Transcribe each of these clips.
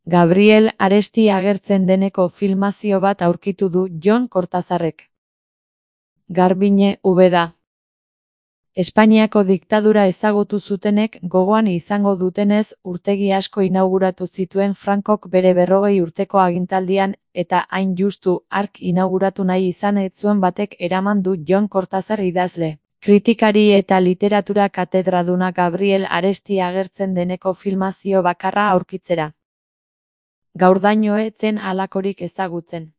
Gabriel Aresti agertzen deneko filmazio bat aurkitu du Jon Kortazarrek. Garbiñe Ubeda. Espainiako diktadura ezagutu zutenek gogoan izango dutenez urtegi asko inauguratu zituen Frankok bere 40 urteko agintaldian eta hain justu hark inauguratu nahi izan ez zuen batek eraman du Jon Kortazar idazle, kritikari eta literatura katedraduna Gabriel Aresti agertzen deneko filmazio bakarra aurkitzera. Gaurdaino ez zen halakorik ezagutzen.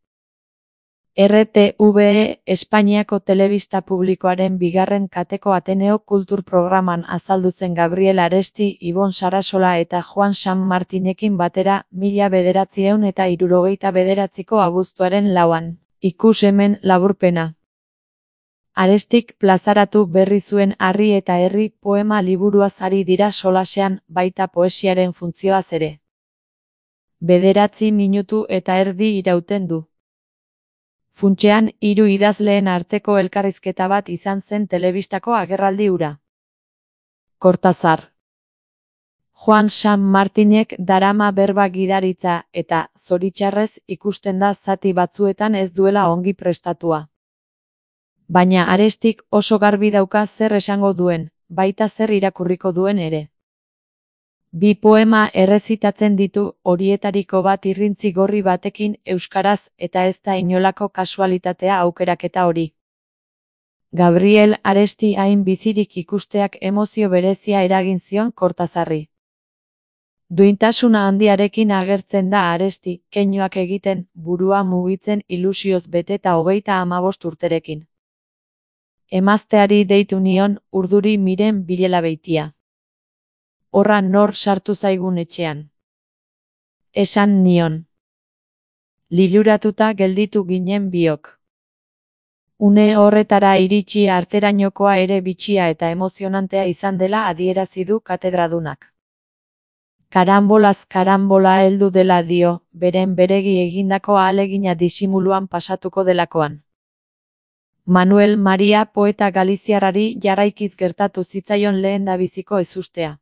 RTVE Espainiako telebista publikoaren bigarren kateko Ateneo Kultur programan azaldu zen Gabriel Aresti, Ibon Sarasola eta Juan San Martinekin batera 1969ko abuztuaren 4an. Ikus hemen laburpena. Arestik plazaratu berri zuen Harri eta Herri poema liburuaz ari dira solasean, baita poesiaren funtzioaz ere. 9 minutu eta erdi irauten du. Funtsean, 3 idazleen arteko elkarrizketa bat izan zen telebistako agerraldi hura. Kortazar. Juan San Martinek darama berba gidaritza eta, zoritxarrez, ikusten da zati batzuetan ez duela ongi prestatua. Baina Arestik oso garbi dauka zer esango duen, baita zer irakurriko duen ere. 2 poema errezitatzen ditu, horietariko bat irrintzi gorri batekin euskaraz eta ez da inolako kasualitatea aukeraketa hori. Gabriel Aresti hain bizirik ikusteak emozio berezia eragin zion Kortazarri. Duintasuna handiarekin agertzen da Aresti, keinuak egiten, burua mugitzen ilusioz beteta 35 urterekin. Emazteari deitu nion, urduri miren bilela beitia. Horra nor sartu zaigun etxean. Esan nion. Liluratuta gelditu ginen biok. Une horretara iritsi arterainokoa ere bitxia eta emozionantea izan dela adierazi du katedradunak. Karambolaz karambola heldu dela dio, beren beregi egindako ahalegina disimuluan pasatuko delakoan. Manuel Maria poeta galiziarrari jarraikiz gertatu zitzaion lehendabiziko ezustea.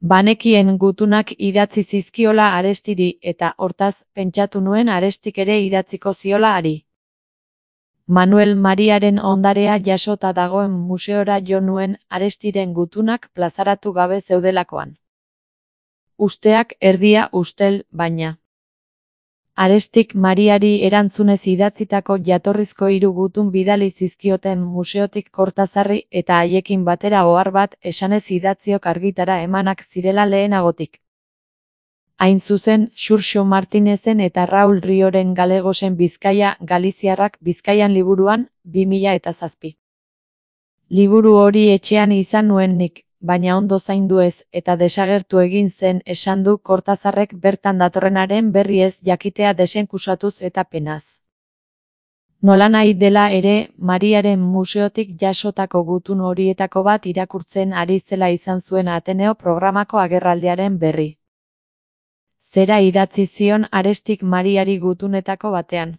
Banekien gutunak idatzi zizkiola Arestiri eta hortaz pentsatu nuen Arestik ere idatziko ziola hari. Manuel Mariaren ondarea jasota dagoen museora jo nuen Arestiren gutunak plazaratu gabe zeudelakoan. Usteak erdia ustel, baina. Arestik Mariari erantzunez idatzitako jatorrizko 3 gutun bidali zizkioten museotik Kortazarri eta haiekin batera ohar bat esanez idatziok argitara emanak zirela lehenagotik. Hain zuzen, Xurxo Martinezen eta Raul Rioren Galegosen Bizkaia Galiziarrak Bizkaian liburuan, 2007. Liburu hori etxean izan nuen nik, baina ondo zaindu ez eta desagertu egin zen esan du Kortazarrek bertan datorrenaren berri ez jakitea desenkusatuz eta penaz. Nolanahi dela ere, Mariaren museotik jasotako gutun horietako bat irakurtzen ari zela izan zuen Ateneo programako agerraldiaren berri. Zera idatzi zion Arestik Mariari gutunetako batean.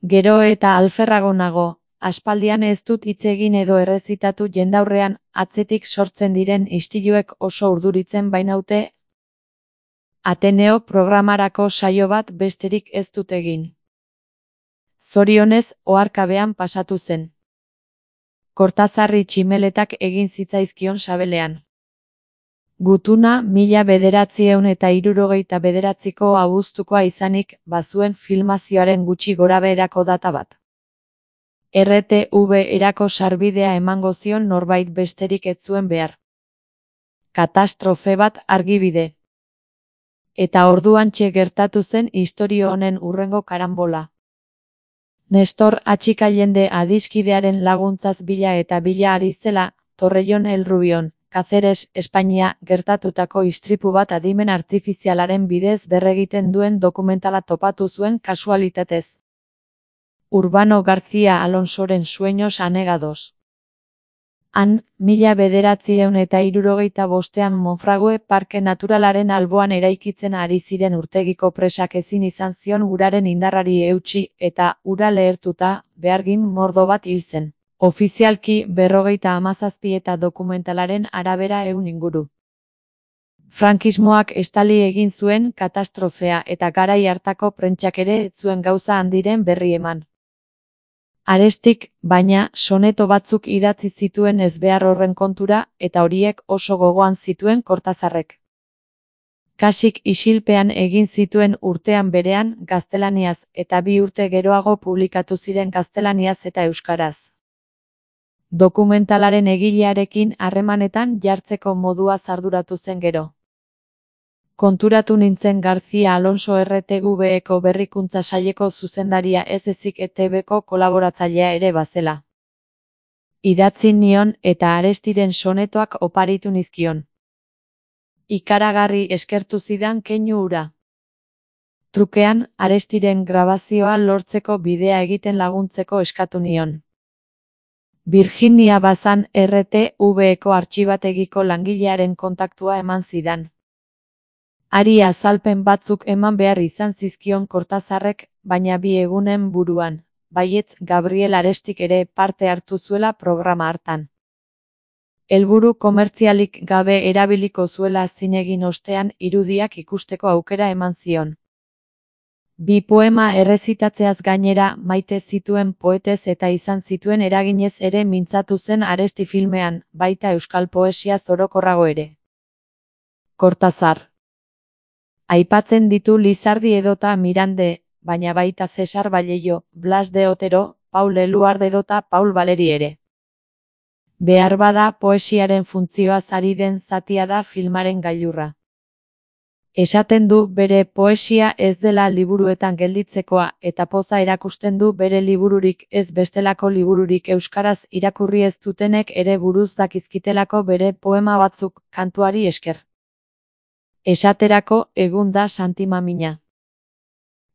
Gero eta alferrago nago. Aspaldian ez dut hitz egin edo errezitatu jendaurrean, atzetik sortzen diren istiluek oso urduritzen bainaute. Ateneo programarako saio bat besterik ez dut egin. Zorionez, oharkabean pasatu zen. Kortazarri tximeletak egin zitzaizkion sabelean. Gutuna 1969ko abuztukoa izanik, bazuen filmazioaren gutxi gorabeherako data bat. RTV erako sarbidea emango zion norbait besterik ez zuen behar. Katastrofe bat argibide. Eta orduantxe gertatu zen istorio honen hurrengo karambola. Nestor Atxikailende adiskidearen laguntzaz bila eta bila ari zela, Torrellon el Rubion, Cáceres, Espainia, gertatutako istripu bat adimen artifizialaren bidez berregiten duen dokumentala topatu zuen kasualitatez. Urbano García Alonsoren Sueños anegados. Han, 1975ean Monfragüe Parke Naturalaren alboan eraikitzen ari ziren urtegiko presak ezin izan zion uraren indarrari eutsi eta ura lehertuta, behargin mordo bat hil zen. Ofizialki 57 eta dokumentalaren arabera 100 inguru. Frankismoak estali egin zuen katastrofea eta garai hartako prentsak ere ez zuen gauza handiren berri eman. Arestik, baina, soneto batzuk idatzi zituen ezbehar horren kontura, eta horiek oso gogoan zituen Kortazarrek. Kasik isilpean egin zituen urtean berean gaztelaniaz eta 2 urte geroago publikatu ziren gaztelaniaz eta euskaraz. Dokumentalaren egilearekin harremanetan jartzeko modua arduratu zen gero. Konturatu nintzen García Alonso RTVeko berrikuntza saileko zuzendaria ez ezik ETBko kolaboratzailea ere bazela. Idatzi nion eta Arestiren sonetoak oparitu nizkion. Ikaragarri eskertu zidan keinu hura. Trukean, Arestiren grabazioa lortzeko bidea egiten laguntzeko eskatu nion. Virginia Bazan RTVeko artxibategiko langilearen kontaktua eman zidan. Hari azalpen batzuk eman behar izan zizkion Kortazarrek, baina 2 egunen buruan, baietz Gabriel Arestik ere parte hartu zuela programa hartan. Helburu komertzialik gabe erabiliko zuela zinegin ostean irudiak ikusteko aukera eman zion. 2 poema errezitatzeaz gainera maite zituen poetez eta izan zituen eraginez ere mintzatu zen Aresti filmean, baita euskal poesia orokorrago ere. Kortazar. Aipatzen ditu Lizardi edota Mirande, baina baita Cesar Vallejo, Blas de Otero, Paul Eluard edota Paul Valéry ere. Beharbada poesiaren funtzioaz ari den zatia da filmaren gailurra. Esaten du bere poesia ez dela liburuetan gelditzekoa eta poza erakusten du bere libururik ez bestelako libururik euskaraz irakurri ez dutenek ere buruz dakizkitelako bere poema batzuk kantuari esker. Esaterako, egun da Santi Mamina.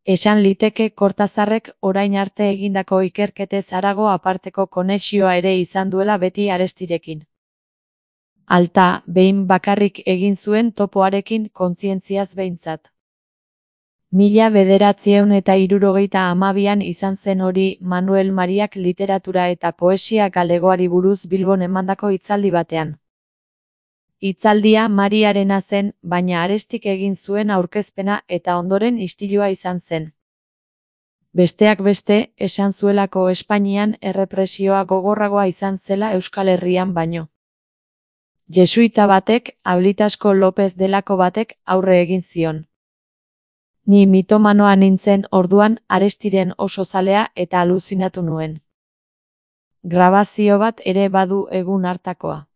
Esan liteke Kortazarrek orain arte egindako ikerketez harago aparteko konexioa ere izan duela beti Arestirekin. Alta, behin bakarrik egin zuen topoarekin kontzientziaz behintzat. 1972an izan zen hori Manuel Mariak literatura eta poesia galegoari buruz Bilbon emandako hitzaldi batean. Hitzaldia Mariarena zen, baina Arestik egin zuen aurkezpena eta ondoren istilua izan zen. Besteak beste, esan zuelako Espainian errepresioa gogorragoa izan zela Euskal Herrian baino. Jesuita batek, Ablitasko López delako batek, aurre egin zion. Ni mitomanoa nintzen orduan Arestiren oso zalea eta aluzinatu nuen. Grabazio bat ere badu egun hartakoa.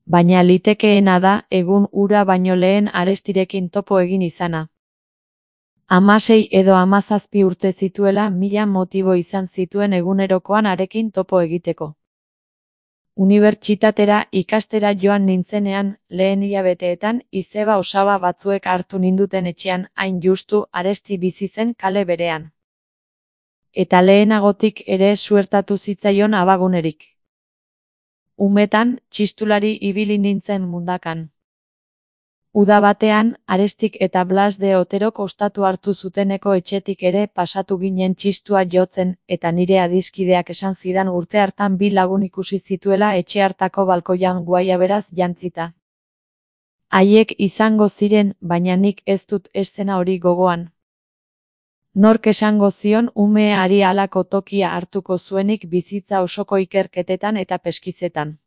Baina litekeena da egun hura baino lehen Arestirekin topo egin izana. 16 edo 17 urte zituela 1000 motibo izan zituen egunerokoan harekin topo egiteko. Unibertsitatera ikastera joan nintzenean, lehen hilabeteetan izeba osaba batzuek hartu ninduten etxean hain justu Aresti bizi zen kale berean. Eta lehenagotik ere suertatu zitzaion abagunerik. Umetan, txistulari ibili nintzen mundakan. Uda batean, Arestik eta Blas de Oterok ostatu hartu zuteneko etxetik ere pasatu ginen txistua jotzen, eta nire adiskideak esan zidan urte hartan 2 lagun ikusi zituela etxe hartako balkoian guaiaberaz jantzita. Haiek izango ziren, baina nik ez dut eszena hori gogoan. Nork esango zion umeari halako tokia hartuko zuenik bizitza osoko ikerketetan eta peskizetan.